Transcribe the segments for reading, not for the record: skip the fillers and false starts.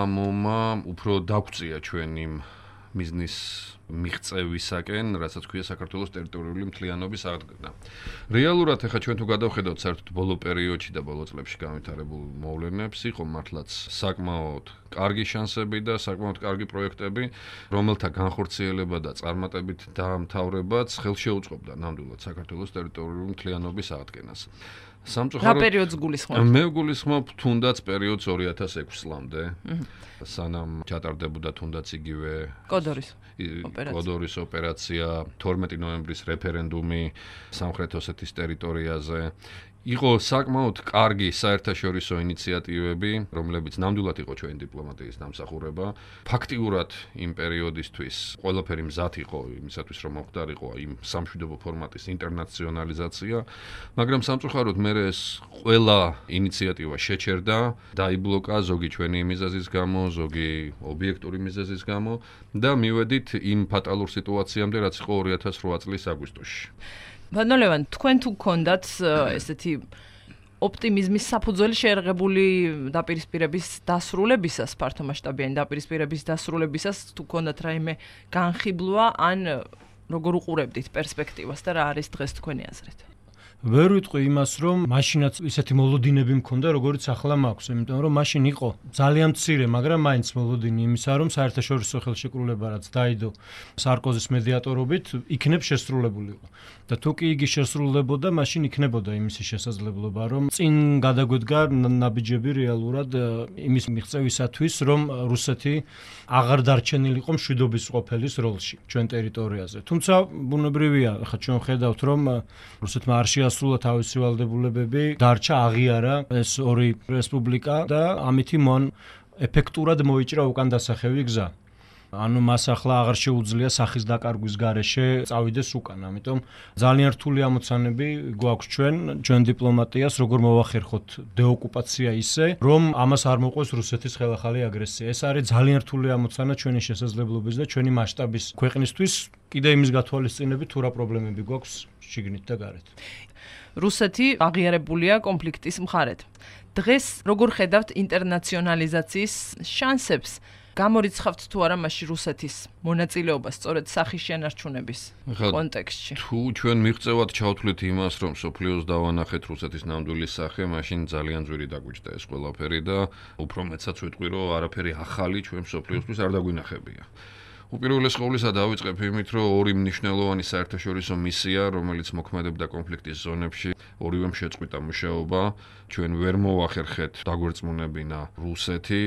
ამომა უფრო დაგვწია ჩვენ იმ მიზნის მიღწევისაკენ, რასაც ქვია საქართველოს ტერიტორიული მთლიანობის აღდგენა. რეალურად ახლა ჩვენ თუ გადავხედავთ საერთოდ ბოლო პერიოდში და ბოლო წლებში განვითარებულ მოვლენებს, იყო მართლაც საკმაოდ კარგი შანსები და საკმაოდ კარგი პროექტები, რომელთა განხორციელება და წარმატებით დაამთავრებაც ხელშეუწყობდა ნამდვილად საქართველოს ტერიტორიული მთლიანობის აღდგენას. რა პერიოდს გულისხმობთ? მე გულისხმობ თუნდაც პერიოდს 2006 წლამდე, სანამ ჩატარდებოდა თუნდაც იგივე კოდორის ოპერაცია, 12 ნოემბრის რეფერენდუმი სამხრეთ ოსეთის ტერიტორიაზე. იყო საკმაოდ კარგი საერთაშორისო ინიციატივები, რომლებიც ნამდვილად იყო ჩვენი დიპლომატიის დამსახურება. ფაქტიურად იმ პერიოდისთვის ყველაფერი მზად იყო იმისათვის, რომ მოხდარიყო იმ სამშვიდობო ფორმატის ინტერნაციონალიზაცია, მაგრამ სამწუხაროდ მე ეს ყველა ინიციატივა შეჩერდა, დაიბლოკა ზოგი ჩვენი მიზეზის გამო, ზოგი ობიექტური მიზეზის გამო და მივედით იმ ფატალურ სიტუაციამდე, რაც იყო 2008 წლის აგვისტოში. ბატონო ლევან, თქვენ თუ გქონდათ ესეთი ოპტიმიზმის საფუძველი შეერღებული დაპირისპირების დასრულებისას, ფართომასშტაბიანი დაპირისპირების დასრულებისას, თუ გქონდათ რაიმე განხიბლვა, ან როგორ უყურებდით პერსპექტივას და რა არის დღეს თქვენი აზრით? ვერ ვიტყვი იმას, რომ მაშინაც ისეთი მოლოდინები მქონდა, როგორიც ახლა მაქვს, იმიტომ რომ მაშინ იყო ძალიან მცირე, მაგრამ მაინც მოლოდინი იმისა, რომ საერთაშორისო ხელშეკრულება რაც დაიდო სარკოზის მედიატორობით, იქნებ შესრულებულიყო. და თუ კი იგი შესრულდებოდა, მაშინ იქნებოდა იმისი შესაძლებლობა, რომ წინ გადაგვედგა ნაბიჯები რეალურად იმის მიღწევისათვის, რომ რუსეთი აღარ დარჩენილიყო მშვიდობის ყოფილის როლში ჩვენ ტერიტორიაზე. თუმცა ბუნებრივია, ხა ჩვენ ხედავთ, რომ რუსეთმა არ შეასრულა თავისი ვალდებულებები, დარჩა აღიარა ეს ორი რესპუბლიკა და ამითი მან ეფექტურად მოიჭრა უკან დასახევი გზა. ანუ მას ახლა აღარ შეუძლია სახის დაკარგვის გარეშე წავიდეს უკან, ამიტომ ძალიან რთული ამოცანები გვაქვს ჩვენ დიპლომატიას, როგორ მოვახერხოთ დეოკუპაცია ისე, რომ ამას არ მოყვეს რუსეთის ხელახალი აგრესია. ეს არის ძალიან რთული ამოცანა ჩვენი შესაძლებლობის და ჩვენი მასშტაბის ქვეყნისთვის, კიდე იმის გათვალისწინებით, თუ რა პრობლემები გვაქვს შიგნით და გარეთ. რუსეთი აღიარებულია კონფლიქტის მხარედ. დღეს როგორ ხედავთ ინტერნაციონალიზაციის შანსებს? გამორიცხავთ თუ არა მასში რუსეთის მონაწილეობას სწორედ სახის შენარჩუნების კონტექსტში? თუ ჩვენ მიღწევად ჩავთვლით იმას, რომ სოფლიოს დავანახეთ რუსეთის ნამდვილი სახე, მაშინ ძალიან ძვირი დაგვიჭდა ეს ყველაფერი და უფრო მეცაც ვიტყვი, რომ არაფერი ახალი ჩვენ სოფლიოსთვის არ დაგვინახებია. უპირველეს ყოვლისა დავიწყებ იმით, რომ ორი მნიშვნელოვანი საერთაშორისო მისია, რომელიც მოქმედებდა კონფლიქტის ზონებში, ორივემ შეწყვიტა მუშაობა. ჩვენ ვერ მოვახერხეთ დაგვერწმუნებინა რუსეთი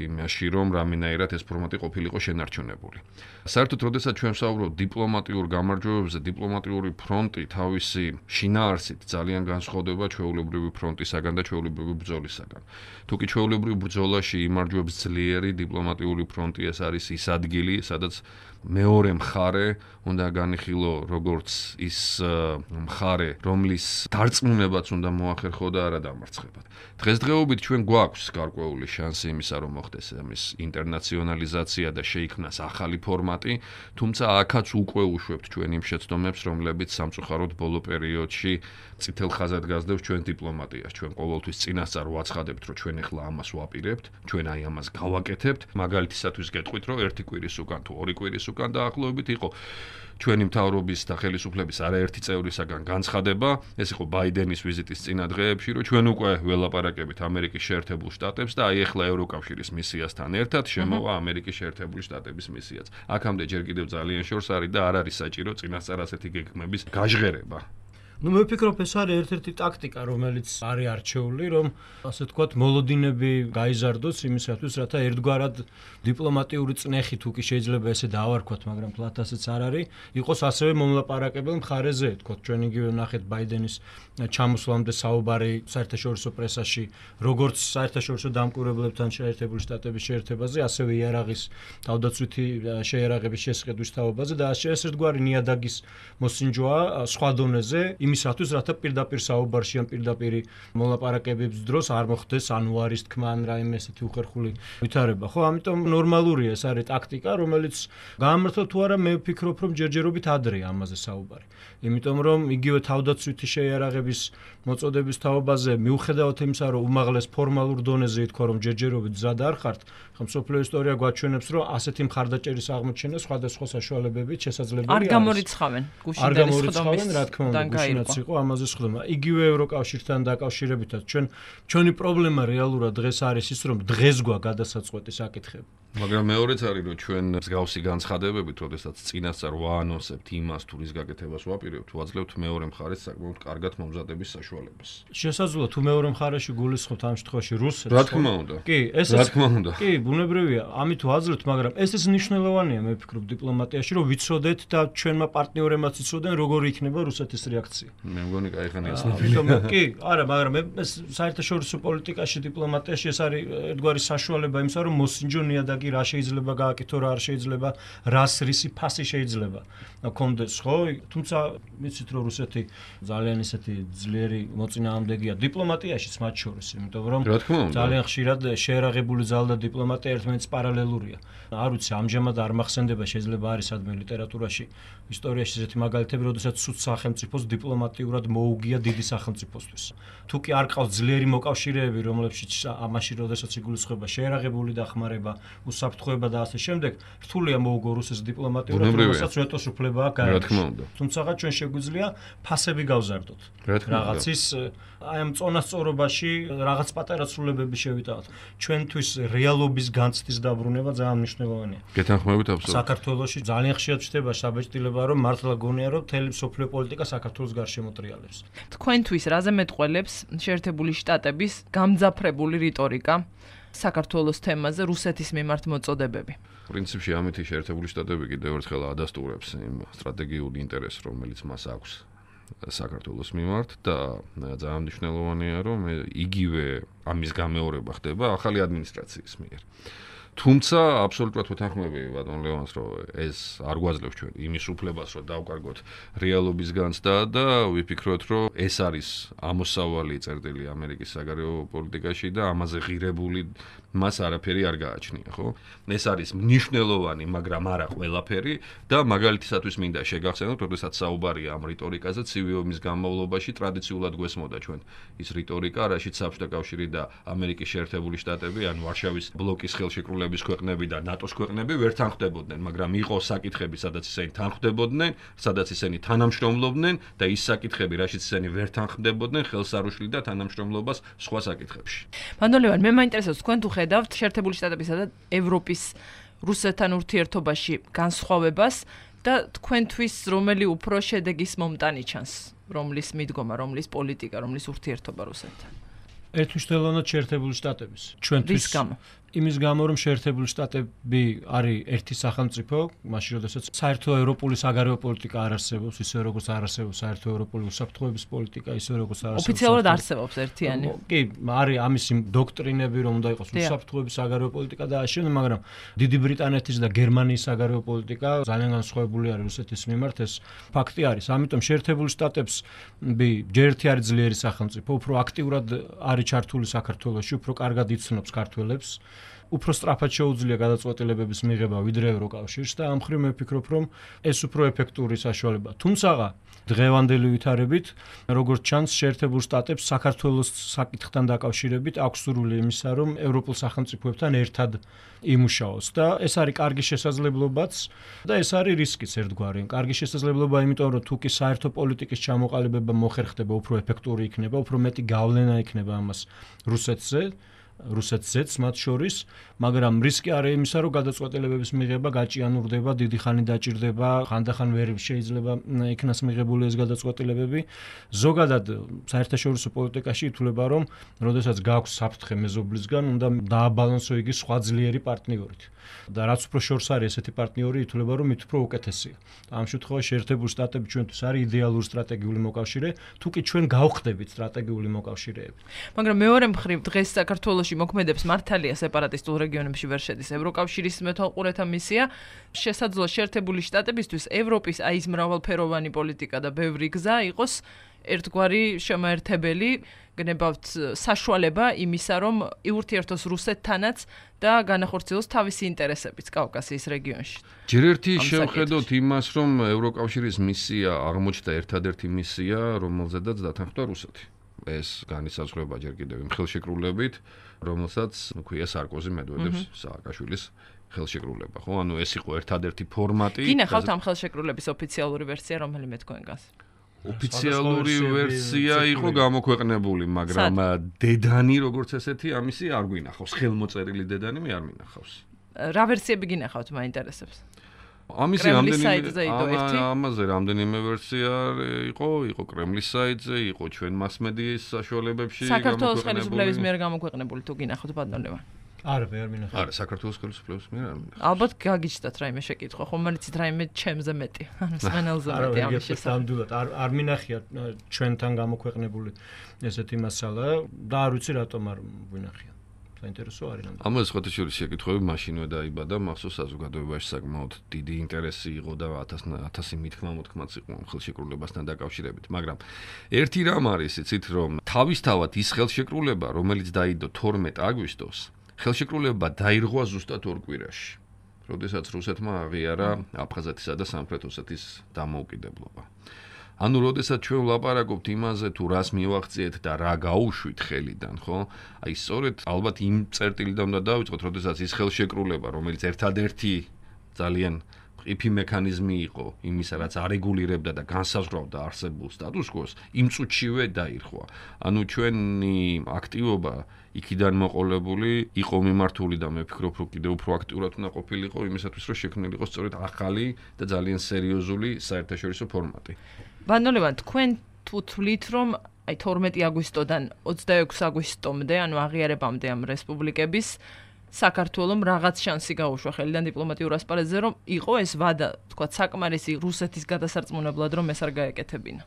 იმაში, რომ რამენაირად ეს ფორმატი ყოფილიყო შენარჩუნებული. საერთოდ, როდესაც ჩვენ ვსაუბრობთ დიპლომატიურ გამარჯვებებზე, დიპლომატიური ფრონტი თავისი შინაარსით ძალიან განსხვავდება ჩვეულებრივი ფრონტისაგან და ჩვეულებრივი ბრძოლისაგან. თუკი ჩვეულებრივ ბრძოლაში იმარჯვებს ძლიერი დიპლომატიური ფრონტი, ეს არის ის ადგილი, სადაც მეორე მხარე უნდა განიხილო როგორც ის მხარე, რომლის დარწმუნებაც უნდა მოახერხო და არა დამარცხებად. დღესდღეობით ჩვენ გვაქვს გარკვეული შანსი იმისა, რომ მოხდეს ამის ინტერნაციონალიზაცია და შეიქმნას ახალი ფორმატი, თუმცა აქაც უკვე უშვებთ ჩვენ იმ შეცდომებს, რომლებიც სამწუხაროდ ბოლო პერიოდში წითელ ხაზად გასდევს ჩვენ დიპლომატიას. ჩვენ ყოველთვის წინასწარ ვაცხადებთ, რომ ჩვენ ახლა ამას ვაპირებთ, ჩვენ აი ამას გავაკეთებთ. მაგალითისათვის გეტყვით, რომ ერთი კვირის უკან თუ ორი კვირის უკან დაახლოებით იყო ჩვენი მთავრობის და ხელისუფლების არაერთი წევრისაგან განცხადება, ეს იყო ბაიდენის ვიზიტის წინა დღეებში, რომ ჩვენ უკვე ველაპარაკებით ამერიკის შეერთებულ შტატებს და აი ახლა ევროკავშირის მისიასთან ერთად შემოვა ამერიკის შეერთებული შტატების მისიაც. აქამდე ჯერ კიდევ ძალიან შორს არის და არ არის საჭირო წინასწარ ასეთი გეგმების გაჟღერება. მე ვფიქრობ, ეს არის ერთ-ერთი ტაქტიკა, რომელიც არის არჩეული, რომ ასე ვთქვათ, მოლოდინები გაიზარდოს იმისათვის, რათა ერთგვარად დიპლომატიური წნეხი თუ კი შეიძლება ესე დავარქვათ, მაგრამ თლათ ასეც არ არის, იყოს ასევე მომლაპარაკებელ მხარეზე, თქო, ჩვენ იგივე ვნახეთ ბაიდენის ჩამოსვლამდე საუბარი საერთაშორისო პრესაში, როგორც საერთაშორისო დამკვირვებლებთან შეერთებული შტატების შეერთებაზე, ასევე იარაღის თავდაცვითი შეიარაღების შესყიდვის თაობაზე და ეს ერთგვარი ნიადაგის მოსინჯოა სხვა დონეზე. იმისათვის, რათა პირდაპირ საუბარში ან პირდაპირ მოლაპარაკებების დროს არ მოხდეს ანუ არის თქმა ან რაიმე ესეთი უხერხული ვითარება. ხო, ამიტომ ნორმალურია ეს არის ტაქტიკა, რომელიც გაამართლა თუ არა, მე ვფიქრობ, რომ ჯერჯერობით ადრეა ამაზე საუბარი. იმიტომ რომ იგივე თავდაცვითი შეიარაღების მოწოდების თაობაზე მიუხედავად იმისა, რომ უმაღლეს ფორმალურ დონეზე ითქვა, რომ ჯერჯერობით მზად არ ხართ, ხომ მსოფლიო ისტორია გვაჩვენებს, რომ ასეთი მხარდაჭერის აღმოჩენა სხვადასხვა საშუალებებით შესაძლებელია. არ გამორიცხავენ გუშინდელი სხდომის. რა თქმა უნდა, გუშინაც იყო ამაზე სხდომა. იგივე ევროკავშირთან დაკავშირებითაც ჩვენი პრობლემა რეალურად დღეს არის ის, რომ დღეს გვაქვს გადასაწყვეტი საკითხები. მაგრამ მეორეც არის, რომ ჩვენ მსგავსი განცხადებებით, როდესაც წინასწარ ვაანონსებთ იმას, თუ რის გაკეთებას ვაპირებთ, ვაძლევთ მეორე მხარეს საკმაოდ კარგად მომზადების საშუალებას. შესაძლოა თუ მეორე მხარეში გულისხმობთ ამ შემთხვევაში რუსეთს. რა თქმა უნდა. კი, რა თქმა უნდა. კი, ბუნებრივია, ამით ვაძლევთ, მაგრამ ეს მნიშვნელოვანია, მე ვფიქრობ დიპლომატიაში, რომ ვიცოდეთ და ჩვენმა პარტნიორებმაც იცოდნენ, როგორი იქნება რუსეთის რეაქცია. მე მგონი, კაიხანი ასნაფილია. კი, არა, მაგრამ ეს საერთაშორისო პოლიტიკაში, დიპლომატიაში ეს არის ერთგვარი საშუალება იმისა, რომ მოსინჯო ნიადაგი რა შეიძლება გააკეთო, რა არ შეიძლება, რას რისი ფასი შეიძლება კონდეს, ხო? თუმცა ვიცით, რომ რუსეთი ძალიან ისეთი ძლიერი მოწინააღმდეგეა დიპლომატიაშიც მათ შორის, იმიტომ რომ ძალიან ხშირად შეერაღებული ძალა და დიპლომატია ერთმანეთს პარალელურია. არ ვიცი, ამჟამად არ მახსენდება, შეიძლება არის სადმე ლიტერატურაში, ისტორიაში ესეთი მაგალითები, როდესაც სუთ სახელმწიფოს დიპლომატიურად მოუგია დიდი სახელმწიფოსთვის. თუ კი არ ყავს ძლიერი მოკავშირეები, რომლებშიც ამაში როდესაც იგულისხმება შეერაღებული დახმარება, უსაფრთხოება და ასე შემდეგ, რთულია მოუგო რუსეთს დიპლომატიურად, რომელსაც ვეტოს უფლება აქვს გაეროში. თუმცა ჩვენ შეგვიძლია ფასები გავზარდოთ. რაღაცის აი ამ წონასწორობაში რაღაც პატარა ცვლილებები შევიტანოთ. ჩვენთვის რეალობის განცდის დაბრუნება ძალიან მნიშვნელოვანია. გეთანხმებით აბსოლუტურად. საქართველოში ძალიან ხშირად ხდება საბეჭდილება, რომ მართლა გონია, რომ მთელი მსოფლიო პოლიტიკა საქართველოს გარშემო ტრიალებს. თქვენთვის რაზე მეტყველებს შეერთებული შტატების გამძაფრებული რიტორიკა საქართველოს თემაზე რუსეთის მიმართ მოწოდებები? პრინციპში ამით შეერთებული შტატები კიდევ ერთხელ ადასტურებს იმ სტრატეგიულ ინტერესს, რომელიც მას აქვს საქართველოს მიმართ და ძალიან მნიშვნელოვანია, რომ იგივე ამის გამეორება ხდება ახალი ადმინისტრაციის მიერ. თუმცა აბსოლუტურად ვეთანხმები ბატონ ლევანს, რომ ეს არ გვაძლევს ჩვენ იმის უფლებას, რომ დავკარგოთ რეალობის განცდა და ვიფიქროთ, რომ ეს არის ამოსავალი წერტილი ამერიკის საგარეო პოლიტიკაში და ამაზე ღირებული მას არაფერი არ გააჩნია, ხო? ეს არის მნიშვნელოვანი, მაგრამ არა ყველაფერი და მაგალითისათვის მინდა შეგახსენოთ, როდესაც საუბარია ამ რიტორიკაზე, ცივი ომის განმავლობაში ტრადიციულად გვესმოდა ჩვენ ის რიტორიკა, რაშიც საბჭოთა კავშირი და ამერიკის შეერთებული შტატები, ან ვარშავის ბლოკის ხელშეკრულების ქვეყნები და ნატოს ქვეყნები ვერ თანხმდებოდნენ, მაგრამ იყო საკითხები, სადაც ისინი თანხმდებოდნენ, სადაც ისინი თანამშრომლობდნენ და ის საკითხები, რაშიც ისინი ვერ თანხმდებოდნენ, ხელს არ უშლიდა თანამშრომლობას სხვა საკითხებში. ბატონ ლევან, მე მაინტერესებს თქვენ თუ ხედავთ შეერთებული შტატებისა და ევროპის რუსეთთან ურთიერთობაში განსხვავებას და თქვენთვის რომელი უფრო შედეგის მომტანი ჩანს, რომლის მიდგომა, რომლის პოლიტიკა, რომლის ურთიერთობა რუსეთთან? ერთმნიშვნელოვნად შეერთებული შტატების. ჩვენთვის იმის გამო, რომ შეერთებული შტატები არის ერთი სახელმწიფო, მაშინ როდესაც საერთო ევროპული საგარეო პოლიტიკა არ არსებობს, ისე როგორც არ არსებობს საერთო ევროპული უსაფრთხოების პოლიტიკა, ისე როგორც არ არსებობს. ოფიციალურად არსებობს ერთიანი. კი, არის ამის დოქტრინები, რომ უნდა იყოს უსაფრთხოების საგარეო პოლიტიკა და ასე, მაგრამ დიდი ბრიტანეთის და გერმანიის საგარეო პოლიტიკა ძალიან განსხვავებული არის რუსეთის მიმართ, ეს ფაქტი არის. ამიტომ შეერთებული შტატებს ჯერ ერთი არის ძლიერი სახელმწიფო, უფრო აქტიურად არის ჩართული საქართველოში, უფრო კარგად იცნობს ქართველებს. უფრო სწრაფად შეუძლია გადაწყვეტილებების მიღება ვიდრე ევროკავშირს და ამ მხრივ მე ვფიქრობ, რომ ეს უფრო ეფექტური საშუალება. თუმცა დღევანდელი ვითარებით, როგორც ჩანს, შეერთებულ შტატებს საქართველოს საკითხთან დაკავშირებით აქვს სურვილი იმისა, რომ ევროპულ სახელმწიფოებთან ერთად იმუშაოს და ეს არის კარგი შესაძლებლობაც და ეს არის რისკიც ერთგვარი. კარგი შესაძლებლობა, იმიტომ რომ თუ კი საერთო პოლიტიკის ჩამოყალიბება მოხერხდება, უფრო ეფექტური იქნება, უფრო მეტი გავლენა იქნება ამას რუსეთზეც მათ შორის, მაგრამ რისკი არის იმისა, რომ გადაწყვეტილებების მიღება გაჭიანურდება, დიდი ხანი დაჭირდება, ხანდახან ვერ შეიძლება იქნას მიღებული ეს გადაწყვეტილებები. ზოგადად საერთაშორისო პოლიტიკაში ითვლება, რომ როდესაც გაქვს საფრთხე მეზობლისგან, უნდა დააბალანსო იგი სხვა ძლიერი პარტნიორით. და რაც უფრო შორს არის ესეთი პარტნიორი, ითვლება, რომ მით უფრო უკეთესია. ამ შემთხვევაში შეერთებული შტატები ჩვენთვის არის იდეალური სტრატეგიული მოკავშირე, თუ კი ჩვენ გავხდებით სტრატეგიული მოკავშირეები. მაგრამ მეორე მხრივ დღეს საქართველოს საქართველოში მოქმედებს მართალია სეპარატისტულ რეგიონებში ვერ შედის ევროკავშირის მეთვალყურეთა მისია. შესაძლოა შეერთებული შტატებისთვის ევროპის აი ეს მრავალფეროვანი პოლიტიკა და ბევრი გზა იყოს ერთგვარი შემაერთებელი, გნებავთ საშუალება იმისა, რომ იურთიერთოს რუსეთთანაც და განახორციელოს თავისი ინტერესებიც კავკასიის რეგიონში. ჯერ ერთი შევხედოთ იმას, რომ ევროკავშირის მისია აღმოჩნდა ერთადერთი მისია, რომელზედაც დათანხმდა რუსეთი. ეს განისაზღვრება ჯერ კიდევ იმ ხელშეკრულებით, რომელსაც ქვია სარკოზი მედვედევს სააკაშვილის ხელშეკრულება, ხო? ანუ ეს იყო ერთადერთი ფორმატი. გინახავთ ამ ხელშეკრულების ოფიციალური ვერსია, რომელიმე თქვენგანს? ოფიციალური ვერსია იყო გამოქვეყნებული, მაგრამ დედანი როგორც ესეთი ამისი არ გვინახავს. ხელმოწერილი დედანი მე არ მინახავს. რა ვერსიები გინახავთ, მაინტერესებს? ამისი ამაზე რამდენიმე ვერსია იყო კრემლის საიტზე, იყო ჩვენ მასმედიის საშუალებებში საქართველოს ხელისუფლების მიერ გამოქვეყნებული თუ გინახავთ ბატონო? არა, ვერ მინახავს. არა, საქართველოს ხელისუფლების მიერ არ მინახავს. ალბათ გაგიჩნდათ რაიმე შეკითხვა, ხომ მარიცით რაიმე ჩემზე მეტი, ანუ სპენელზე მეტი ამის შესაძლებლად. არ მინახია ჩვენთან გამოქვეყნებული ესეთი მასალა და არ ვიცი რატომ არ ვინახია. საინტერესო არის ნამდვილად. ამაზე სხვათაშორის შეკითხვები მაშინვე დაიბადა, მახსოვს საზოგადოებაში საკმაოდ დიდი ინტერესი იყო და 1000 მითქმა-მოთქმაც იყო ხელშეკრულებასთან დაკავშირებით, მაგრამ ერთი რამ არის, იცით, რომ თავისთავად ის ხელშეკრულება, რომელიც დაიდო 12 აგვისტოს, ხელშეკრულება დაირღვა ზუსტად 2 კვირაში, როდესაც რუსეთმა აღიარა აფხაზეთისა და სამხრეთ ოსეთის დამოუკიდებლობა. ანუ როდესაც ჩვენ ვლაპარაკობთ იმაზე, თუ რას მივახციეთ და რა გაუშვით ხელიდან, ხო? აი სწორედ ალბათ იმ წერტილიდან უნდა დავიწყოთ, როდესაც ის ხელშეკრულება, რომელიც ერთადერთი ძალიან ყიფი მექანიზმი იყო იმისა, რაც არეგულირებდა და განსაზღვრავდა არსებულ სტატუს-კვოს, იმ წუთშივე დაირღვა. ანუ ჩვენი აქტივობა იქიდან მოყოლებული იყო მიმართული და მე ვფიქრობ, რომ კიდევ უფრო აქტიურად უნდა ყოფილიყო იმისათვის, რომ შექმნილიყო სწორედ ახალი და ძალიან სერიოზული საერთაშორისო ფორმატი. ბატონო, თქვენ თუ თვლით, რომ აი 12 აგვისტოდან 26 აგვისტომდე, ანუ აღიარებამდე ამ რესპუბლიკების საქართველოს რაღაც შანსი გაუშვა ხელიდან დიპლომატიურ ასპარეზზე, რომ იყო ეს ვადა, თქვა, საკმარისი რუსეთის გადასარწმუნებლად, რომ ეს არ გაეკეთებინა.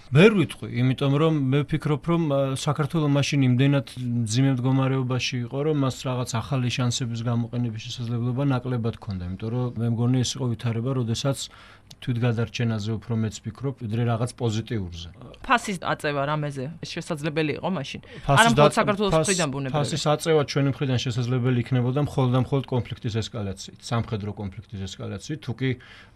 ვერ ვიტყვი, იმიტომ რომ მე ვფიქრობ, რომ საქართველოს მაშინ იმდენად მძიმე მდგომარეობაში იყო, რომ მას რაღაც ახალი შანსების გამოყენების შესაძლებლობა ნაკლებად ჰქონდა, იმიტომ რომ მე მგონი ეს იყო ვითარება, როდესაც თვითგადარჩენაზე უფრო მეც ვფიქრობ, ვიდრე რაღაც პოზიტიურზე. ფასის აწევა რამეზე შესაძლებელი იყო მაშინ? არა მხოლოდ საქართველოს მხრიდან ბუნებრივია. ფასის აწევა ჩვენი მხრიდან შესაძლებელი იქნებოდა მხოლოდ და მხოლოდ კონფლიქტის ესკალაციით, სამხედრო კონფლიქტის ესკალაციით, თუ კი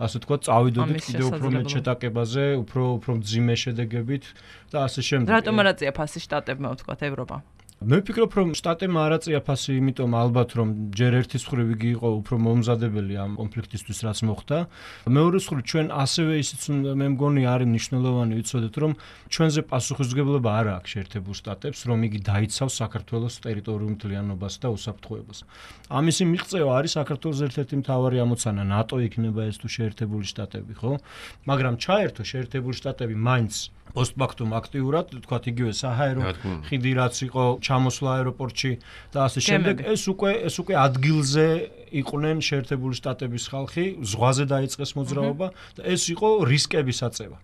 ასე თქვა, წავიდოდით კიდევ უფრო მეტ შეტაკებაზე, უფრო მძიმე შედეგებით და ასე შემდეგ. რატომ არ აწია ფასი შტატებმა, ვთქვათ, ევროპამ? მე ვფიქრობ, რომ შტატებმა არ აწია ფასი, იმიტომ ალბათ, რომ ჯერ ერთის მხრივ იგი იყო უფრო მომზადებელი ამ კონფლიქტისთვის, რაც მოხდა. მეორეს მხრივ ჩვენ ასევე ისიც მე მგონი არის მნიშვნელოვანი ვიცოდეთ, რომ ჩვენზე პასუხისმგებლობა არ აქვს შეერთებულ შტატებს, რომ იგი დაიცავს საქართველოს ტერიტორიულ მთლიანობას და უსაფრთხოებას. ამისი მიღწევა არის საქართველოს ერთ-ერთი მთავარი ამოცანა, ნატო იქნება ეს თუ შეერთებული შტატები, ხო? მაგრამ ჩაერთო შეერთებული შტატები მაინც პოსტფაქტუმ აქტიურად, თქვათ იგივე საჰაერო ხიდი რაც იყო ჩამოსვლა აეროპორტში და ასე შემდეგ, ეს უკვე ადგილზე იყვნენ შეერთებული შტატების ხალხი, ზღვაზე დაიწყეს მოძრაობა და ეს იყო რისკების აწევა.